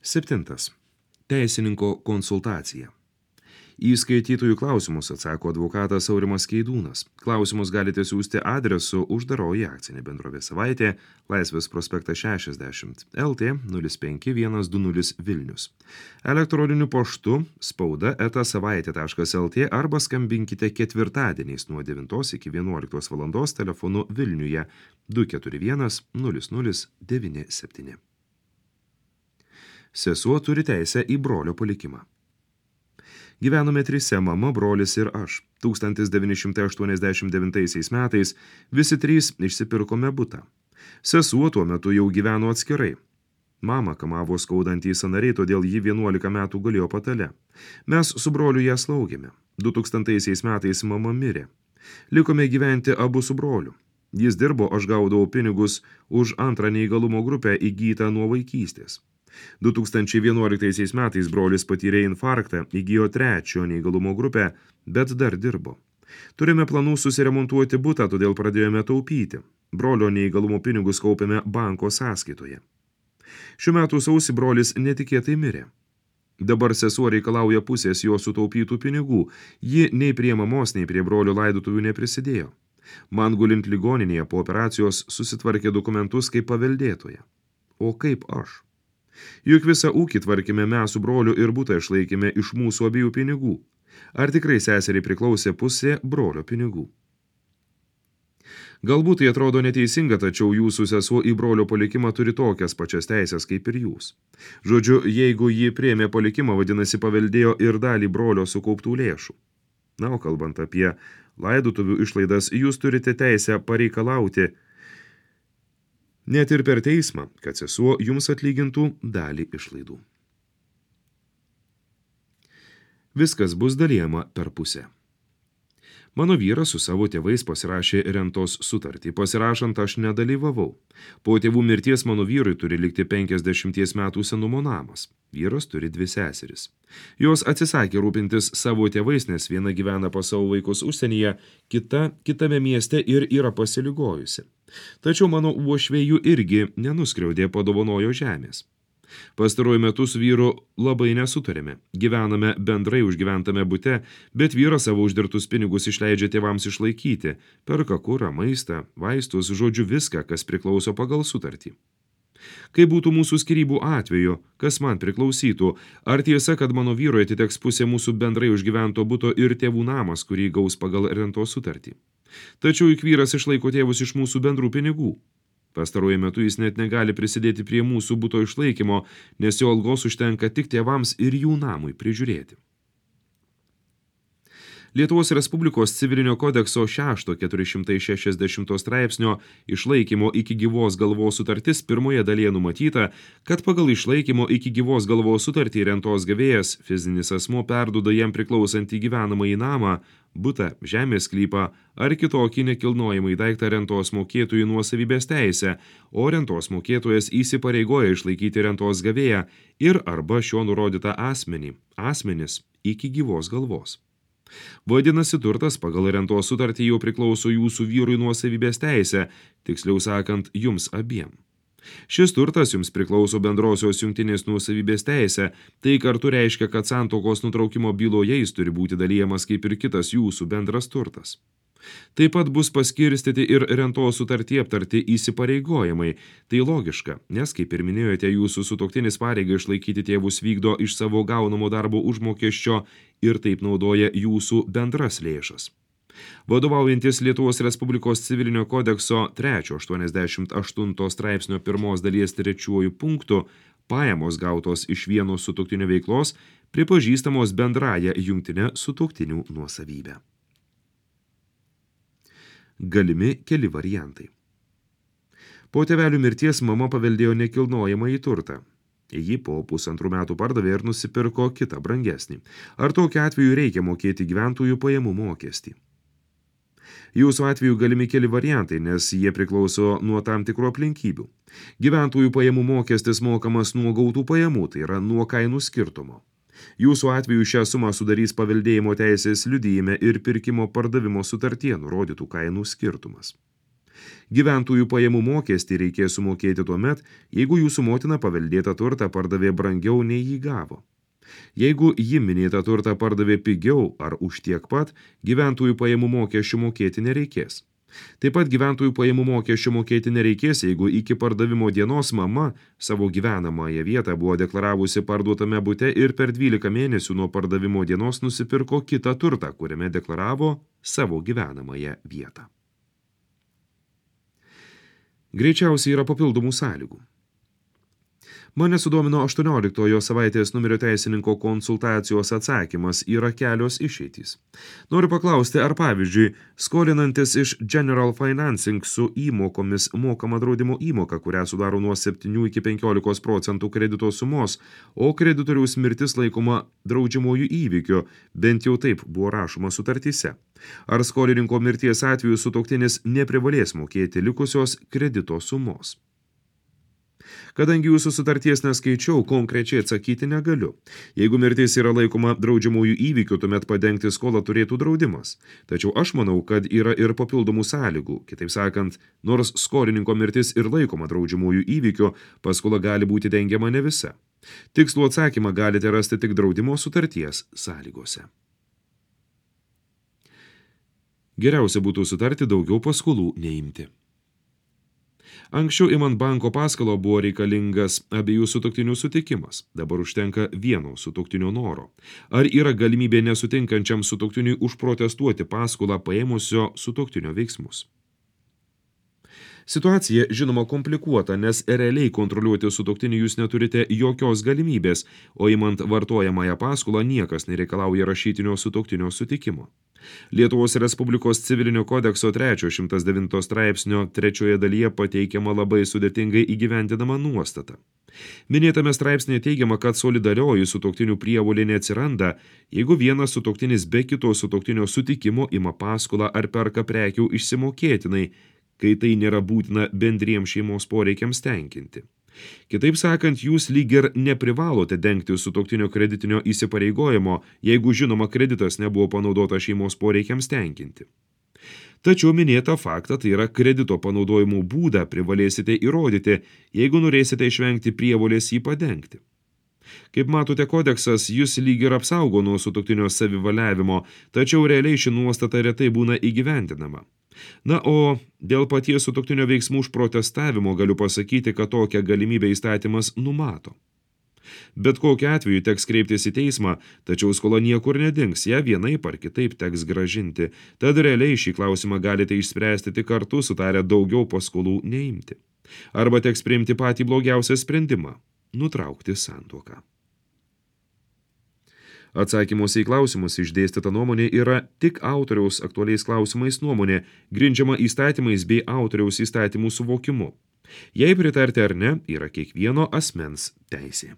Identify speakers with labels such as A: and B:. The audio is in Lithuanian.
A: 7. Teisininko konsultacija. Į skaitytojų klausimus atsako advokatas Aurimas Keidūnas. Klausimus galite siųsti adresu Uždaroji akcinė bendrovė Savaitė, Laisvės prospektas 60 LT 05120 Vilnius. Elektroniniu paštu spauda@savaitė.lt arba skambinkite ketvirtadieniais nuo 9 iki 11 valandos telefonu Vilniuje 241 0097. Sesuo turi teisę į brolio palikimą. Gyvenome trise, mama, brolis ir aš. 1989 metais visi trys išsipirkome butą. Sesuo tuo metu jau gyveno atskirai. Mama kamavo skaudantį sąnariai, todėl ji 11 metų gulėjo patale. Mes su broliu ją slaugėme. 2000 metais mama mirė. Likome gyventi abu su broliu. Jis dirbo, aš gaudavau pinigus už antrą neįgalumo grupę įgytą nuo vaikystės. 2011 metais brolis patyrė infarktą, įgijo trečio neįgalumo grupę, bet dar dirbo. Turime planų susiremontuoti butą, todėl pradėjome taupyti. Brolio neįgalumo pinigus kaupėme banko sąskaitoje. Šių metų sausį brolis netikėtai mirė. Dabar sesuo reikalauja pusės jo sutaupytų pinigų. Ji nei prie mamos, nei prie brolio laidotuvių neprisidėjo. Man gulint ligoninėje po operacijos susitvarkė dokumentus kaip paveldėtoja. O kaip aš? Juk visą ūkį tvarkėme mes su broliu ir butą išlaikėme iš mūsų abiejų pinigų. Ar tikrai seseriai priklausė pusė brolio pinigų? Galbūt tai atrodo neteisinga, tačiau jūsų sesuo į brolio palikimą turi tokias pačias teisės kaip ir jūs. Žodžiu, jeigu ji priėmė palikimą, vadinasi paveldėjo ir dalį brolio sukauptų lėšų. Na, o kalbant apie laidotuvių išlaidas, jūs turite teisę pareikalauti net ir per teismą, kad sesuo jums atlygintų dalį išlaidų. Viskas bus dalijama per pusę. Mano vyras su savo tėvais pasirašė rentos sutartį. Pasirašant aš nedalyvavau. Po tėvų mirties mano vyrui turi likti 50 metų senumo namas. Vyras turi 2 seseris. Jos atsisakė rūpintis savo tėvais, nes viena gyvena pas savo vaikus užsienyje, kita kitame mieste ir yra pasiligojusi. Tačiau mano uošvėjų irgi nenuskriaudė padovanojo žemės. Pastaruoju metu su vyru labai nesutarėme. Gyvename bendrai užgyventame bute, bet vyras savo uždirbtus pinigus išleidžia tėvams išlaikyti, perka kurą, maistą, vaistus, žodžiu viską, kas priklauso pagal sutartį. Kai būtų mūsų skyrybų atveju, kas man priklausytų, ar tiesa, kad mano vyrui atiteks pusė mūsų bendrai užgyvento buto ir tėvų namas, kurį gaus pagal rentos sutartį? Tačiau juk vyras išlaiko tėvus iš mūsų bendrų pinigų. Pastaruoju metu jis net negali prisidėti prie mūsų buto išlaikymo, nes jo algos užtenka tik tėvams ir jų namui prižiūrėti. Lietuvos Respublikos civilinio kodekso 6.460 straipsnio išlaikymo iki gyvos galvos sutartis pirmoje dalyje numatyta, kad pagal išlaikymo iki gyvos galvos sutartį rentos gavėjas, fizinis asmuo perduoda jam priklausantį gyvenamąjį namą, butą, žemės sklypą ar kitokį nekilnojamąjį daiktą rentos mokėtojų nuosavybės teisę, o rentos mokėtojas įsipareigoja išlaikyti rentos gavėją ir arba šio nurodytą asmenis iki gyvos galvos. Vadinasi, turtas pagal rentos sutartį jau priklauso jūsų vyrui nuosavybės teisę, tiksliau sakant, jums abiem. Šis turtas jums priklauso bendrosios jungtinės nuosavybės teisę, tai kartu reiškia, kad santuokos nutraukimo byloje jis turi būti dalyjamas kaip ir kitas jūsų bendras turtas. Taip pat bus paskirstyti ir rentos sutartyje aptarti įsipareigojimai. Tai logiška, nes, kaip ir minėjote, jūsų sutuoktinis pareigą išlaikyti tėvus vykdo iš savo gaunamo darbo užmokesčio ir taip naudoja jūsų bendras lėšas. Vadovaujantis Lietuvos Respublikos civilinio kodekso 3.88 straipsnio 1 dalies 3 punktu, pajamos gautos iš vieno sutuoktinio veiklos pripažįstamos bendraja jungtinė sutuoktinių nuosavybė. Galimi keli variantai. Po tėvelių mirties mama paveldėjo nekilnojamąjį turtą. Ji po 1,5 metų pardavė ir nusipirko kitą brangesnį. Ar tokiu atveju reikia mokėti gyventojų pajamų mokestį? Jūsų atveju galimi keli variantai, nes jie priklauso nuo tam tikrų aplinkybių. Gyventojų pajamų mokestis mokamas nuo gautų pajamų, tai yra nuo kainų skirtumo. Jūsų atveju šią sumą sudarys paveldėjimo teisės liudijime ir pirkimo pardavimo sutartyje nurodytų kainų skirtumas. Gyventojų pajamų mokestį reikės sumokėti tuomet, jeigu jūsų motina paveldėtą turtą pardavė brangiau nei jį gavo. Jeigu ji minėtą turtą pardavė pigiau ar už tiek pat, gyventojų pajamų mokesčių mokėti nereikės. Taip pat gyventojų pajamų mokesčių mokėti nereikės, jeigu iki pardavimo dienos mama savo gyvenamąją vietą buvo deklaravusi parduotame bute ir per 12 mėnesių nuo pardavimo dienos nusipirko kitą turtą, kuriame deklaravo savo gyvenamąją vietą. Greičiausiai yra papildomų sąlygų. Mane sudomino 18 savaitės numerio teisininko konsultacijos atsakymas, yra kelios išeitys. Noriu paklausti, ar pavyzdžiui, skolinantis iš General Financing su įmokomis mokama draudimo įmoka, kurią sudaro nuo 7 iki 15% kredito sumos, o kreditoriaus mirtis laikoma draudžiamojų įvykiu, bent jau taip buvo rašoma sutartyse. Ar skolininko mirties atveju sutuoktinis neprivalės mokėti likusios kredito sumos. Kadangi jūsų sutarties neskaičiau, konkrečiai atsakyti negaliu. Jeigu mirtis yra laikoma draudžiamųjų įvykių, tuomet padengti skolą turėtų draudimas. Tačiau aš manau, kad yra ir papildomų sąlygų. Kitaip sakant, nors skolininko mirtis ir laikoma draudžiamųjų įvykių, paskola gali būti dengiama ne visa. Tikslų atsakymą galite rasti tik draudimo sutarties sąlygose. Geriausia būtų sutarti daugiau paskolų neimti. Anksčiau imant banko paskolą buvo reikalingas abiejų sutuoktinių sutikimas, dabar užtenka vieno sutuoktinio noro. Ar yra galimybė nesutinkančiam sutuoktiniui užprotestuoti paskolą paėmusio sutuoktinio veiksmus? Situacija, žinoma, komplikuota, nes realiai kontroliuoti sutuoktinį jūs neturite jokios galimybės, o imant vartojamąją paskolą niekas nereikalauja rašytinio sutuoktinio sutikimo. Lietuvos Respublikos civilinio kodekso 309 straipsnio 3 dalyje pateikiama labai sudėtingai įgyvendinama nuostata. Minėtame straipsnėje teigiama, kad solidarioji sutuoktinių prievolė neatsiranda, jeigu vienas sutuoktinis be kito sutuoktinio sutikimo ima paskolą ar perka prekių išsimokėtinai, kai tai nėra būtina bendriems šeimos poreikiams tenkinti. Kitaip sakant, jūs lyg ir neprivalote dengti sutuoktinio kreditinio įsipareigojimo, jeigu žinoma kreditas nebuvo panaudota šeimos poreikiams tenkinti. Tačiau minėtą faktą, tai yra kredito panaudojimo būdą, privalėsite įrodyti, jeigu norėsite išvengti prievolės jį padengti. Kaip matote, kodeksas jūs lyg ir apsaugo nuo sutuoktinio savivaliavimo, tačiau realiai ši nuostata retai būna įgyvendinama. Na, o dėl paties sutuoktinio veiksmų užprotestavimo galiu pasakyti, kad tokią galimybę įstatymas numato. Bet kokiu atveju teks kreiptis į teismą, tačiau skola niekur nedings, ją vienaip ar kitaip teks grąžinti, tad realiai šį klausimą galite išspręsti tik kartu sutarę daugiau paskolų neimti. Arba teks priimti patį blogiausią sprendimą – nutraukti santuoką. Atsakymuose į klausimus išdėstyta nuomonė yra tik autoriaus aktualiais klausimais nuomonė, grindžiama įstatymais bei autoriaus įstatymų suvokimu. Jei pritarti ar ne, yra kiekvieno asmens teisė.